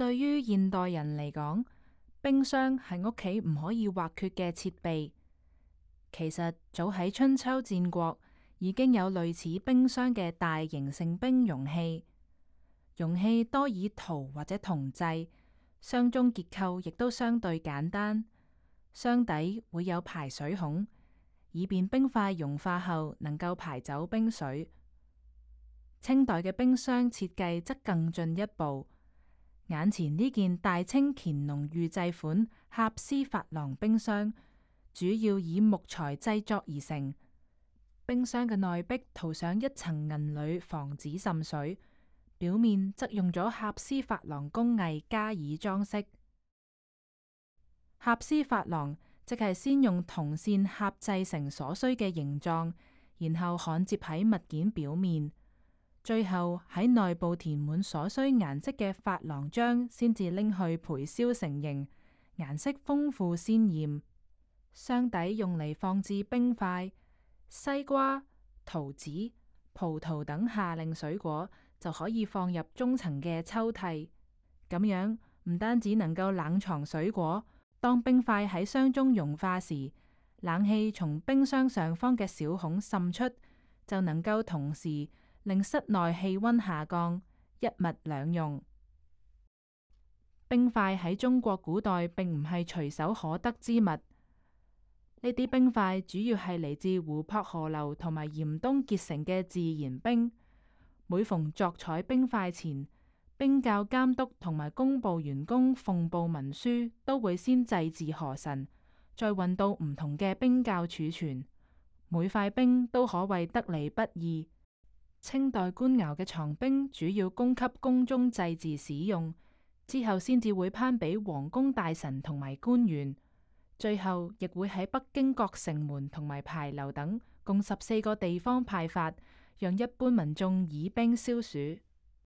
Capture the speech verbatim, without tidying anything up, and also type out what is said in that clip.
對於現代人嚟講，冰箱係屋企唔可以或缺嘅設備。其實早喺春秋戰國已經有類似冰箱嘅大型盛冰容器，容器多以陶或者銅製，箱中結構亦都相對簡單，箱底會有排水孔，以便冰塊融化後能夠排走冰水。清代嘅冰箱設計則更進一步。眼前呢件大清乾隆御製款合絲珐琅冰箱，主要以木材製作而成。冰箱嘅內壁塗上一層銀鋁，防止滲水；表面則用咗合絲珐琅工藝加以裝飾。合絲珐琅即係先用銅線合製成所需嘅形狀，然後焊接喺物件表面。最後喺內部填滿所需顏色嘅珐琅漿，先至拎去焙燒成型，顏色豐富鮮艷。箱底用嚟放置冰塊、西瓜、桃子、葡萄等夏令水果，就可以放入中層嘅抽屜。咁樣唔單止能夠冷藏水果，當冰塊喺箱中融化時，冷氣從冰箱上方嘅小孔滲出，就能夠同時令室內氣溫下降，一物兩用。冰塊喺中國古代並唔係隨手可得之物，呢啲冰塊主要係嚟自湖泊、河流同埋嚴冬結成嘅自然冰。每逢作採冰塊前，冰窖監督同埋工部員工奉報文書，都會先祭祀河神，再運到唔同嘅冰窖儲存。每塊冰都可謂得嚟不易。清代官窯嘅藏冰主要供給宮中祭祀使用，之後先至會頒俾皇宮大臣同埋官員，最後亦會喺北京各城門同埋牌樓等共十四個地方派發，讓一般民眾以冰消暑。